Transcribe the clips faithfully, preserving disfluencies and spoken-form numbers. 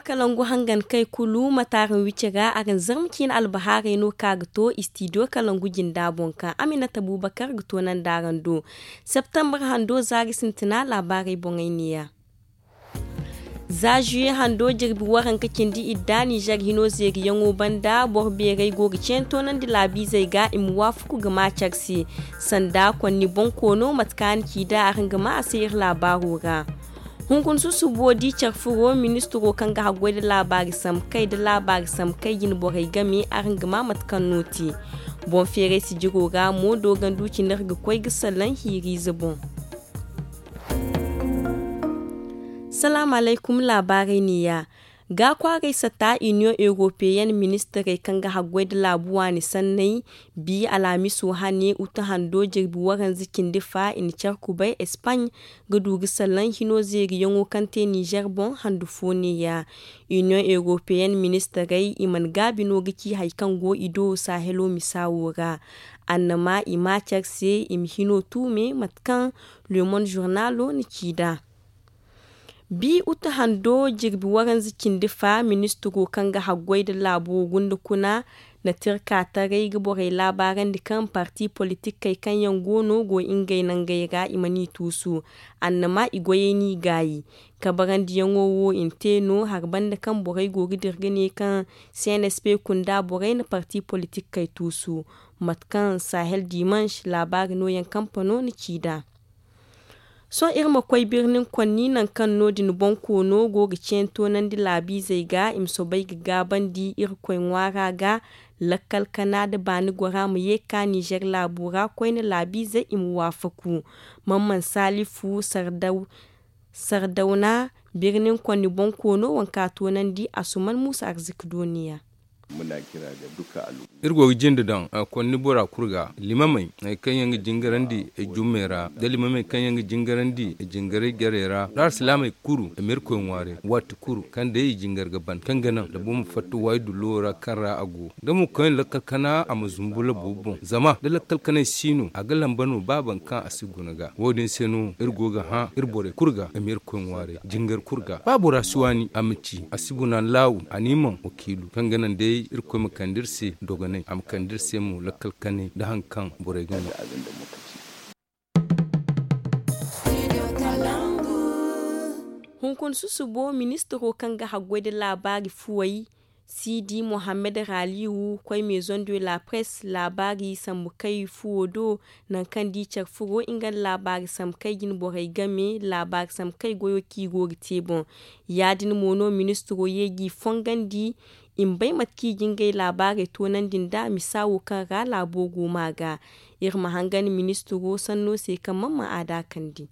kalangu hangan kay kulu mate araŋ wici ra araŋ zarma ciine albahaarey no kaŋ a ga to istidiyo kalangu jinda boŋ kaŋ aminata buubakar ga toonandi araŋ do. Septembar hando zaari sintina laabaarey boŋey neeya. Za juye hando jirbi waranka cindi idda nizer hino zeeriyaŋo banda boro beerey go ga ceeni toonandi laabiizey ga i ma waafaku ga ma care se. Sanda konni bonkoono mate kaŋ a na ci da araŋ ga ma a se iri laabaaro ra. Hunkuna susubo di care furo ministiro kaŋ ga haggoy nda laabaari sambu kay nda laabaari sambu kay jine borey game araŋ ga ma mate kaŋ no te. Boŋ feeray sijiro ra mo doogandu cine iri ga koy ga salaŋ hiiriize boŋ. Salaamu alaykum. Laabaarey neeya. Ga kwaaray sata iniyoŋ eropeyen ministirey kaŋ ga haggoy nda laabu waani sanney bi alhamiso hane utu hando jirbi waranza cindi fa i na care kubay espaaɲ ga du ga salaŋ hino zeeriyaŋo kaŋ te nizer boŋ handu fo neeya. Iniyoŋ eropeyen ministirey i mana gaabi no ga ci hari kaŋ go i do sahelo misa wo ra. Annama i ma care se i ma hino tuume mate kaŋ lemon zurnalo na ci nd'a. Bi utu hando jirbi waranza cindi fa ministiro kaŋ ga haggoy nda laabo gunda kuna na tirka taray ga borey laabaarandi kaŋ parti politikey kaŋ yaŋ go no go ngey nangey ra i mana i tuusu. Annama i goyey n'i gaayi kabarandiyaŋo wo i na te no hari banda kaŋ borey go ga dira ga ne kaŋ cnsp kunda borey na parti politikey tuusu. Mate kaŋ sahel dimanche laabaari nooyaŋ kampano na ci nd'a. Sohõ iri ma koy birnin konni nangu kaŋ no- din bonkoono go ga ceeni toonandi laabiizey ga i ma soobay ga gaabandi irkoy ŋwaara ga. Lakkal kana nda baani gora ma ye ga ka nizer laabo ra koyne laabiizey i ma waafaku. Mamman salifu sardawna birnin konni bonkoono wanka toonandi asuman muusa arziki dooniya. Iri go ga jinde daŋ konni bora kulu ga limamey kaŋ yaŋ ga jingarandi jummey ra nda limamey kaŋ yaŋ ga jingarandi jingaray jarey ra nda alsilaamey kulu i ma irkoy ŋwaaray waati kulu kaŋ day i jingar ga ban kaŋ ga naŋ da boro ma fatta waayi dullo ra kaŋ ra a go da mo kaŋ lakkal kana a ma zumbu labo boŋ zama da lakkal kanay si no a ga lamba no ba boro kaŋ a si guna ga wo- din se no iri go ga hã iri borey kulu ga i ma irkoy ŋwaaray jingar kulu ga ba bora si waani a ma ci a si guna laawu a n'i maŋ wakiilu kaŋ ga naŋ day irkoy ma kande iri se dogonay a ma kande iri se mo lakkal kanay nda hari kaŋ borey ga no. Hunkuna susubo ministiro kaŋ ga haggoy nda laabaari fuwey siidi mohammed raaliwu koy maison de la presse laabaari sambu kay fuwo do nangu kaŋ da i care furo nga nda laabaari sambu kay jine borey game laabaari sambu kay goyo kaŋ i go ga te boŋ. Ya- din mo no ministiro ye g'i fongandi i ma bay mate kaŋ i ga ngey laabaarey toonandi nd'a misa wo kaŋ ra laabo go ma ga. Iri ma hangan ministiro sanno se kaŋ mana ma a daakandi.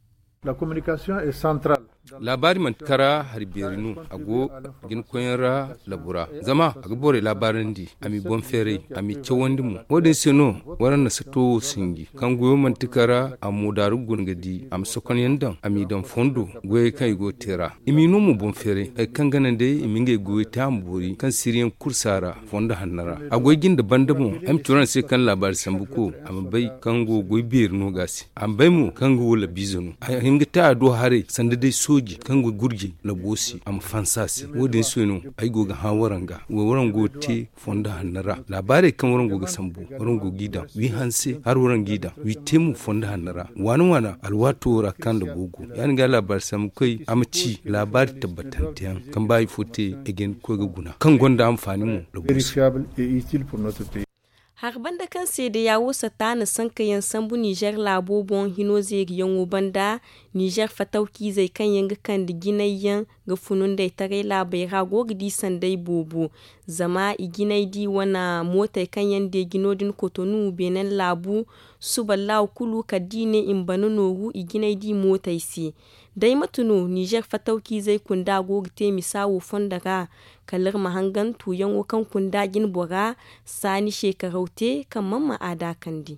Laabaari manti kara hari beeri no a go jinakoyyaŋ ra labu ra zama a ga borey laabaarandi a m'i boŋ feeray a m'i cawandi mo wo- din se no waraŋ na sato wo sinji kaŋ goyo manti kara a mo daaru guna ga di a ma sokonyaŋ daŋ a m'i daŋ fondo goyey kaŋ i go ga te ra i m'i no mo boŋ feeray hari kaŋ ga naŋ day i ma ngey goyey te a ma boori kaŋ siriyaŋ kulu si a ra fondo hanno ra a goy jinde banda boŋ ay ma ci waraŋ se kaŋ laabaari sambu ko a ma bay kaŋ go goy beeri no ga a se a ma bay mo kaŋ ga wo labiize no a hin ga te a do haray sanda day sooji kaŋ ga gurjey labo se a ma fansa a se wo- din se no ay go ga hã waraŋ ga wo waraŋ go ga te fondo hanno ra laabaarey kaŋ waraŋ go ga sambu waraŋ go g'i daŋ wi hanse hala waraŋ g'i daŋ wi te mo fondo hanno ra waana waana alwaato wo ra kaŋ nda go go ya- din ga laabaari sambu koy a ma ci laabaari tabbatanteyaŋ kaŋ ba hari fo te ay ga hin ga koy ga guna kaŋ gonda anfaani mo labu se. Hari banda kaŋ seedeya wo sata na sankayaŋ sambu nizer laabo boŋ hino zeeriyaŋo banda nizer fatawciizey kaŋ yaŋ ga kande jinay yaŋ ga funu nd'ey taray laabey ra go ga di sanday boobo. Zama i jinay di wane mootey kaŋ yaŋ deeji no- din kotonu beenen laabu suba laaw kulu kala da i ne i ma bana nooru i jinay di mootey se. Day mate no nizer fatawciizey kunda go ga te misa wo fondo ra kala iri ma hangan tuuyaŋo kaŋ kunda jine bora saani seekaraw te kaŋ mana ma a daakandi.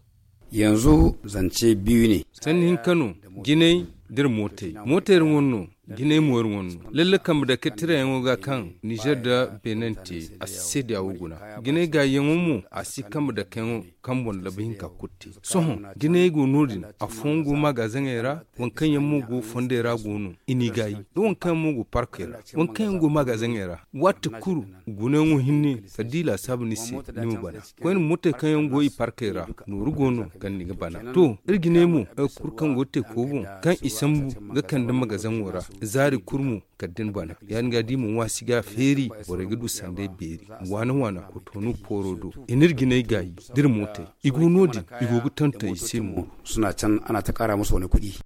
Yanzu zance biyu ne. Sanni hinka no jinay da iri mootey mootey ra wane no Jinay mo iri wane no lalle kambe dake tirayaŋo ga kaŋ nizer nda benin te, a si seediya wo guna. Jinay gaayiyaŋo mo a si kambe dakeyaŋo kaŋ boŋ labu hinka kulu te. Sohõ jinay go no- din, afooyaŋ go magazaŋey ra, waŋ kaŋ yaŋ mo go fondey ra go no i n'i gaayi, da waŋ kaŋ yaŋ mo go parkey ra, waŋ kaŋ yaŋ go magazaŋey ra. Waati kulu gunayaŋo hinne kala da i laasaabu ni se, ni ma bana. Koyne mootey kaŋ yaŋ go i parkey ra, nooru go no kaŋ ni ga bana. To, iri jinay mo, hari kulu kaŋ go teeko boŋ, kaŋ i sambu ga kande magazaŋo ra, zaari kulu mo kala da ni bana. Ya- din ga da i ma ŋwaasi ga feeri, borey ga du sanday beeri. Waana waana kotoonu pooro do, i n'iri jinay gaayi da iri mootey. I go no- din, i go ga tonton i se mo. Suna can a na ta kaara musu wane kuɗi.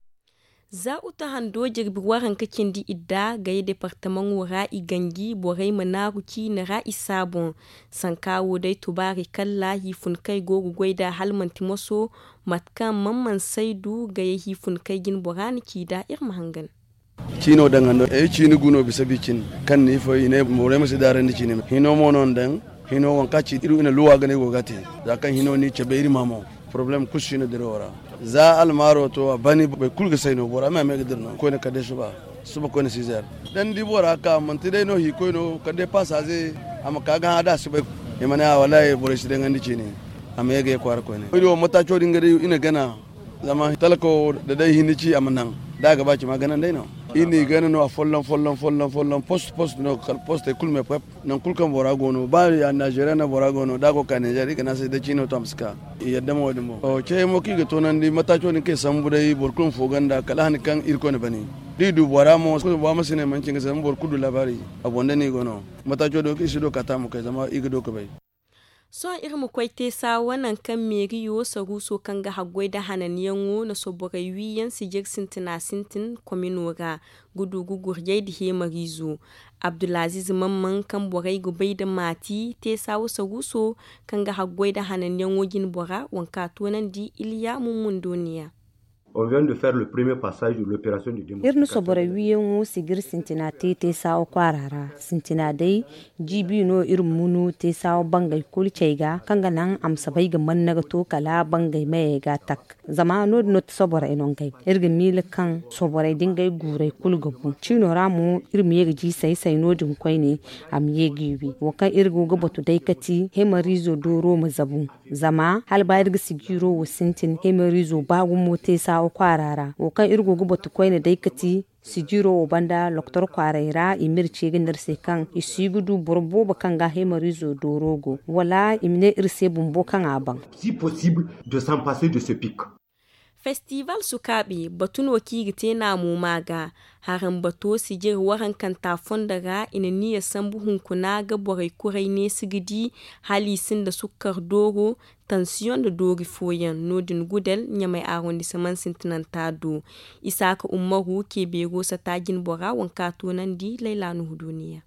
Za uta hando jirbi waranka cindi idda gay departamaŋo ra i ganji borey ma naaru ciine ra i saaboŋ. Sanka wo day tubaari kalla hiifunkey go ga goy nd'a hala manti moso. Mate kaŋ man man saydu gay hiifunkey jine bora na ci nd'a iri ma hangan. Ciino daŋ hando ay ciini gu no bisa bi cin kaŋ ni fo i ne borey ma si daarandi ciine hino mo no ni daŋ. Hino waŋ kaŋ a ci iri wane luwa ga no ay go ga a te. Za kaŋ hino ni cabe iri ma mo. Porobalem kulu si no dirawo ra. Za almaaro to a bani boro kulu ga say no bora me a me ga dira no koyne kala day suba. Suba koyne sizer. Da ni di bora ka manti day no hiikoy no kala day paasaaze. A ma ka ga hã da a si bay. I ma ne a wallaahi borey si daŋandi ciine. A ma ye ga ye kwaara koyne iri wo mataaco din ga day i na gana. Zama talka wo da day hinne ci a ma naŋ. Da a ga ba cima gana day no. Iri n'i gana no a folloŋ folloŋ folloŋ folloŋ post post no kala postey kulu me pep. Nangu kulu kaŋ bora go no ba ya nizeeriya no bora go no da a go ga ka nizeeriya i ga ne a se day ciino to a ma si ka. I yadda mo wo- din boŋ cehey mo kaŋ i ga toonandi mataaco din kaŋ i sambu day boro kulu ma fo ganda kala hani kaŋ irkoy na bani. Da i du bora mo bora ma si ne manci nga se zama boro kulu du laabaari. A boŋ da no i go no mataaco din wo kaŋ i si du ga ka taamo kay zama i ga du ga bay. Sohõ iri ma koy teesa wo nangu kaŋ meeriyo saruuso kaŋ ga haggoy nda hananyaŋo na soborey wiiyaŋ sijir sintina sintin komino ra. Ga du ga gurjay nda heemariizo abdulaziiz mamman kaŋ borey ga bay nda maati teesa wo saruuso kaŋ ga haggoy nda hananyaŋo jine bora waŋ kaŋ a toonandi iliya mummun dooniya. Iri na soborey wiiyaŋo sijir sintina te teesa wo kwaara ra. Sintina day jiibi no iri ma munu teesa wo bangey kulu cay ga kaŋ ga naŋ a ma si bay ga man ni ga to kala bangey mayey ga a tak. Zama no- din no ti soborey no ngey iri ga miila kaŋ soborey da ngey guurey kulu ga bu ciino ra mo iri ma ye ga jiisay say no- din koyne. A ma ye g'i wi wo kaŋ iri go ga batu day kati hemariizo dooro ma zabu. Zama hala ba iri ga sijiiro wo sintin hemariizo ba gumo te saawo kwaara ra wo kaŋ iri go ga batu koyne day kati sijiiro wo banda loktor kwaaray ra i ma iri ce ga ne iri se kaŋ i si ga du boro boobo kaŋ ga hemariizo dooro go wala i ma ne iri se bumbo kaŋ a baŋ. Si possible de s'en passer de ce pic. Festival sukaabe batu no kaŋ i ga te naamo ma ga haraŋ bato sijir warankanta fondo ra i na niya sambu hunkuna ga borey kuray neesi ga di hala i sinda sukkar dooro. Tansiyoŋ nda doori fooyaŋ no- din gudel ɲamay arrondissement sintinanta do. Isaaka ummaru ke beero sata jine bora waŋ kaŋ a toonandi layla nuhu duuniya.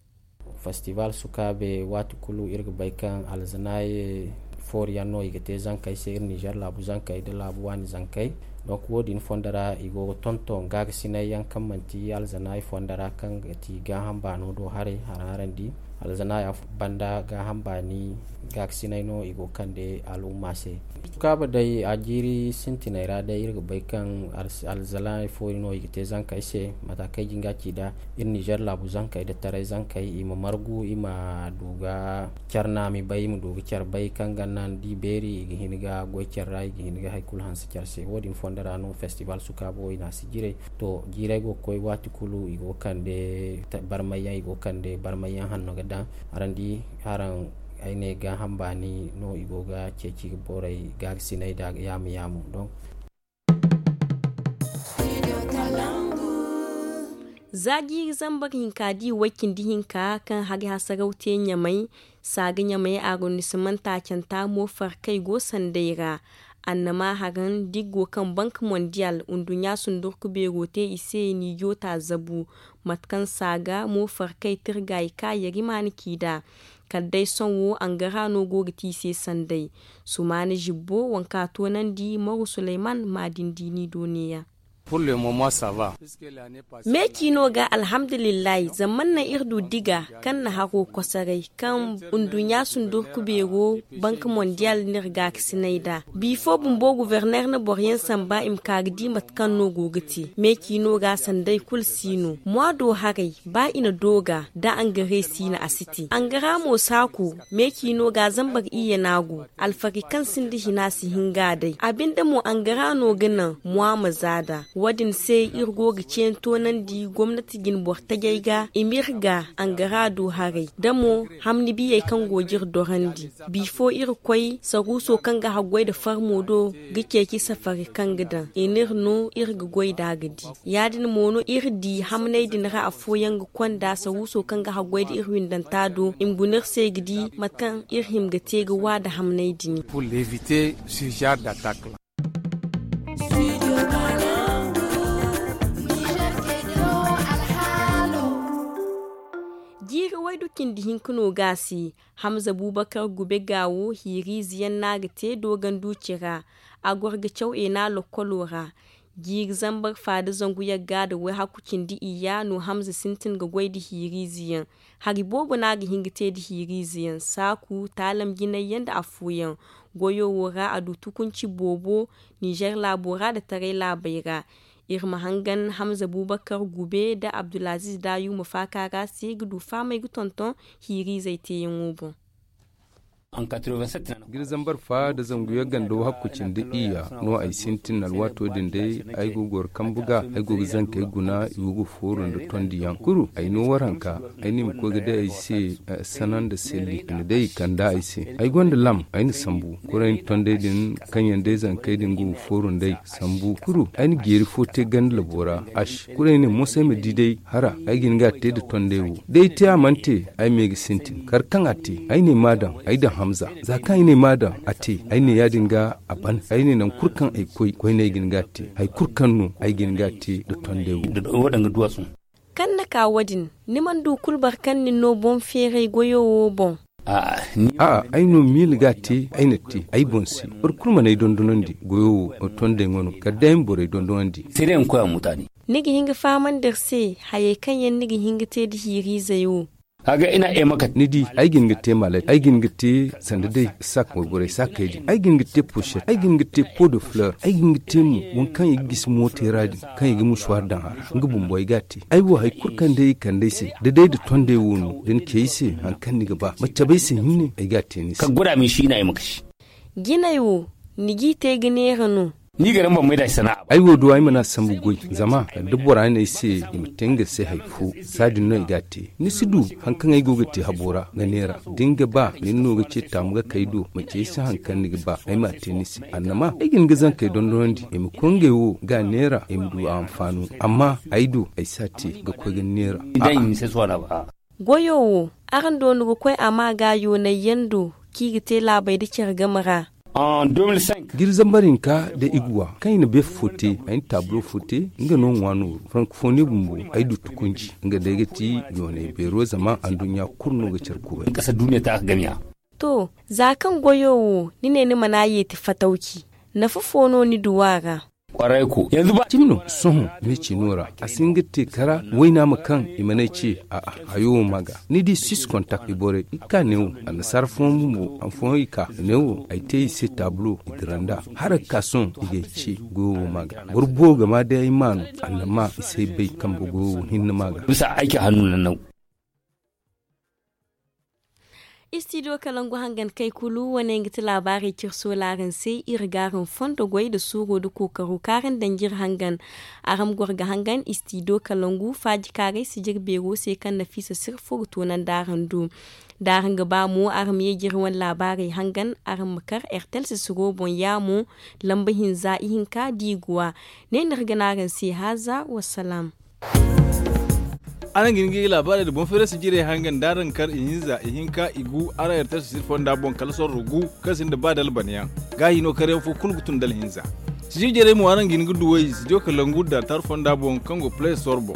Festival sukaabe waati kulu iri ga bay kaŋ alzanaaye foori yaŋ no i ga te zankey se iri nizer laabu zankey nda laabu waani zankey. Donc wo- din fondo ra i go ga tonton gaagasinay yaŋ kaŋ manti alzanaaye fondo ra kaŋ ga ti gaaham baano do haray haraŋ araŋ di alzanaaye banda gaaham baani gaagasinay no i go ga kande al'umma se. Sukaabe day a jiiri sintinay ra day iri ga bay kaŋ alzanaaye foori no i ga te zankey se mata kaŋ ay jin ga ci nd'a iri nizer laabu zankey nda taray zankey i ma margu i ma du ga care naami bay i ma du ga care bay kaŋ ga naŋ da i beeri i ga hin ga goy care ra i ga hin ga hari kulu hanse care se wo- din fondo ra no festival sukaabo i na a si jiiray. To jiiray go ga koy waati kulu i go ga kande barmayyaŋ i go ga kande barmayyaŋ hanno ga daŋ. Araŋ di haraŋ ay ne gaaham baani no i go ga ceeci borey gaagasinay nda yaamu yaamu donc. Za jiiri zambar hinka da i way cindi hinka kaŋ hari hasaraw te ɲamay saaga ɲamay arrondissement taacanta mo farkay go sanday ra. Annama haraŋ da i go kaŋ bank mondial nduɲɲa sundurku beero te i se nijo ta zabu. Mate kaŋ saaga mo farkay tirga i ka yarimaana ci nd'a. Kala day sohõ angara no go ga te i se sanday. Sumaana zibbo waŋ kaŋ a toonandi maru suleyman maadin diini do neeya. Me ciino ga alhamdulillahi zama man naŋ iri du diga kaŋ na haro kosoray kaŋ nduɲɲa sundurku beero banka mondiyal n'iri gaakasinay nd'a. Bifo bumbo guverner na boro yaŋ samba i ma ka ga di mate kaŋ no go ga te me ciino ga sanday kulu si no mois do haray ba i na dooga da angare si no a si te angara mo saaku me ciino ga zambar iyye no a go. Alfari kaŋ sinda hina si hin ga a day a binde mo angara no ga naŋ mois ma za nd'a. Wo- din se iri go ga ceeni toonandi gomnati jine boro tajey ga i m'iri ga angara du haray da mo hamni biyey kaŋ go ga iri dorandi. Bifo iri koy saruuso kaŋ ga haggoy nda farmo do ga ceeci safari kaŋ ga daŋ i n'iri no iri ga goy nd'a ga di. Ya- din mo no iri di hamney din ra afooyaŋ ga konda saruuso kaŋ ga haggoy nda iri windanta do i ma guna iri se ga di mate kaŋ iri hima ga te ga wa nda hamney din. Jiiri waydu cindi hinka no ga a se. Hamza buubakar gube ga wo hiiriize yaŋ no a ga te dooganduuci ra. A goro ga caw eena lokkolo ra. Jiiri zambar faada zangu yagga nda wayhakku cindi iyya no hamza sintin ga goy nda hiiriize yaŋ. Hari boobo no a ga hin ga te nda hiiriize yaŋ saaku taalam jinay yaŋ nda afooyaŋ. Goyo wo ra a du tukunci boobo ninzeer laabo ra nda taray laabey ra. Iri ma hangan hamza buubakar gube nda abdulaziiz daayu ma faaka ra se ga du fahamey ga tonton hiiriizey teeyaŋo boŋ. Jiri zambar fa nda zangu yagga nda wahakku cindi iyya no ay sintin alwaato din day. Ay go ga goro kambu ga ay go ga zankey guna i go ga fooru nda tondi yaŋ kuru ay no waranka. Ay na i ma koy ga day ay se sana nda selli i na day i kanda ay se. Ay gonda lam ay na sambu kuru ay na tondey din kaŋ yaŋ day zankey din go ga fooru nd'ey sambu kuru ay na jeeri fo te ganda labo ra. Ash kulu ay ne moso ay ma di day hara ay ga hin ga a te nda tondey wo da ay te a mana te. Ay ma ye ga sintin kar kaŋ a te ay ne ma a daŋ ay daŋ hamza. Za kaŋ ay ne ma a daŋ a te ay ne ya- din ga a ban ay ne nangu kulu kaŋ ay koy koyne ay ga hin ga a te. Hari kulu kaŋ no ay ga hin ga a te nda tondey wo. Kaŋ na ka wo- din ni mana du kulu boro kaŋ nin no boŋ feeray goyo wo boŋ. A'a ay no miila ga a te ay na te ay boŋ se. Boro kulu mana ay dondonandi goyo wo tondey ŋwano kala day ay ma borey dondonandi. Ni ga hin ga fahamandi iri se hayey kaŋ yaŋ ni ga hin ga te nda hiiriizey wo. Ni di ay ga hin ga te malet ay ga hin ga te sanda day sak wayborey sakey din ay ga hin ga te poshet ay ga hin ga te po de fleur ay ga hin ga te mo waŋ kaŋ i ga gisi mootey ra din kaŋ i ga musuwaari daŋ a ra. Nga bumbo ay ga a te ay wo hari kulu kaŋ day i kande ay se da day nda tondey wo no da ni ce ay se hari kaŋ ni ga ba ma cabe ay se hinne ay ga a te ni se. Jinay wo ni g'i te ga neera no. Ni ga ramban may da ay sana'a ba ay wo do ay mana sambu goy zama da bora ne ay se i ma te nga se hari fo. Saadin no ay ga a te ni si du hari kaŋ ay go ga te habo ra ga neera da ni ga ba nin no ga ce taamu ga kay do ma ce ay se hari kaŋ ni ga ba ay m'a te ni se annama ay ga ni ga zankey dondonandi i ma koy ngey wo ga neera i ma du a hanfaano. Amma ay do ay si a te ga koy ga neera. Goyo wo araŋ doonu ga koy a ma ga yoonay yaŋ do kaŋ i ga te laabey nda care game ra. Jiri zambar hinka da iguwa kaŋ i na beefa fo te ay na taabulo fo te. Nga no ŋwa nooru frankofoni bumbo ay du tukunci nga day ga ti yoonay beero zama anduɲɲa kulu no ga care kuray. To za kaŋ goyo wo ni ne ni mana yeeti fatawci nafa fo no ni du a ra? Cimi no sohõ meecino ra a si hin ga te kara wayna ma kaŋ i mana ay ce a'a hayo wo ma ga. Ni di sis kontak i borey i ka neewo annasaara fooyaŋ bumbo han fooyaŋ i ka neewo ay te i se taabulo i dira nd'a. Hara ga ka sohõ i ga ay ce goyo wo ma ga boro boobo ga ma day ay ma no. Annama i si ay bay kambe goyo wo hinne ma ga. Istidiyo kalangu hangan kay kulu wane nga ti laabaarey cire soolaaraŋ se. Iri ga araŋ fondo goy nda suuro nda kookaro kaŋ araŋ daŋ jire hangan. Araŋ ma goro ga hangan istidiyo kalangu faaji kaaray sijir beero se kaŋ nafiisa sirfo ga toonandi araŋ do. Da araŋ ga ba mo araŋ ma ye jire wane laabaarey hangan araŋ ma kar ertel sisiro boŋ yaamo lamba hinza ihinka da i ga wa. Ne no iri ga ne araŋ se haaza wassalaam. Araŋ ga hin ga i laabaarey nda boŋ feerasi jirey hangan da araŋ kar ihinza ihinka igu araŋ ertel sisir fonda boŋ kala sorro gu kaŋ sinda ba dalbanayaŋ. Gaahino karyaŋ fo kulu ga tun dalhinza. Sijir jirey mo araŋ ga hin ga duw'ey sijir kalangu da altar fonda boŋ kaŋ go play store boŋ.